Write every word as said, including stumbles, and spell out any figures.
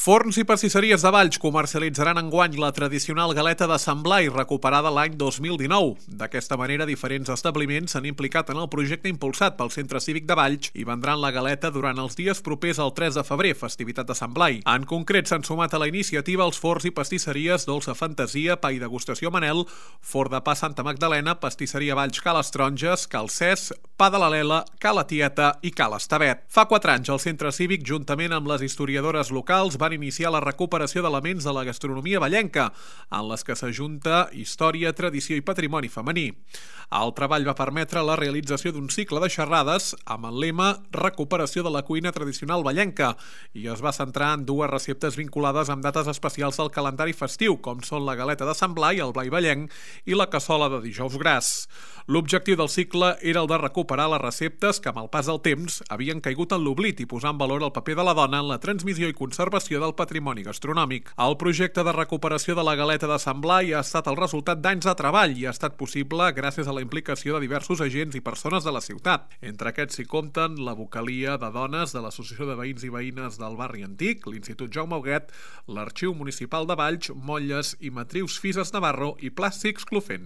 Forns i pastisseries de Valls comercialitzaran enguany la tradicional galeta de Sant Blai, recuperada l'any dos mil dinou. D'aquesta manera, diferents establiments s'han implicat en el projecte impulsat pel Centre Cívic de Valls i vendran la galeta durant els dies propers al tres de febrer, festivitat de Sant Blai. En concret, s'han sumat a la iniciativa els forns i pastisseries Dolça Fantasia, Pa i Degustació Manel, Forn de Pa Santa Magdalena, Pastisseria Valls Ca les Taronges, Cal Cés, Pa de la Lela, Ca la Tieta i Ca l'Estavet. Fa quatre anys, el Centre Cívic, juntament amb les historiadores locals, van iniciar la recuperació d'elements de la gastronomia vallenca, en les que s'ajunta història, tradició i patrimoni femení. El treball va permetre la realització d'un cicle de xerrades amb el lema Recuperació de la cuina tradicional vallenca i es va centrar en dues receptes vinculades amb dates especials del calendari festiu, com són la galeta de Sant Blai, el Blai vallenc, i la cassola de dijous gras. L'objectiu del cicle era el de recuperar les receptes que, amb el pas del temps, havien caigut en l'oblit i posar en valor el paper de la dona en la transmissió i conservació del patrimoni gastronòmic. El projecte de recuperació de la galeta de Sant Blai ha estat el resultat d'anys de treball i ha estat possible gràcies a la implicació de diversos agents i persones de la ciutat. Entre aquests s'hi compten la vocalia de dones de l'Associació de Veïns i Veïnes del Barri Antic, l'Institut Jaume Huguet, l'Arxiu Municipal de Valls, Motlles i Matrius Fises Navarro i Plàstics Clofent.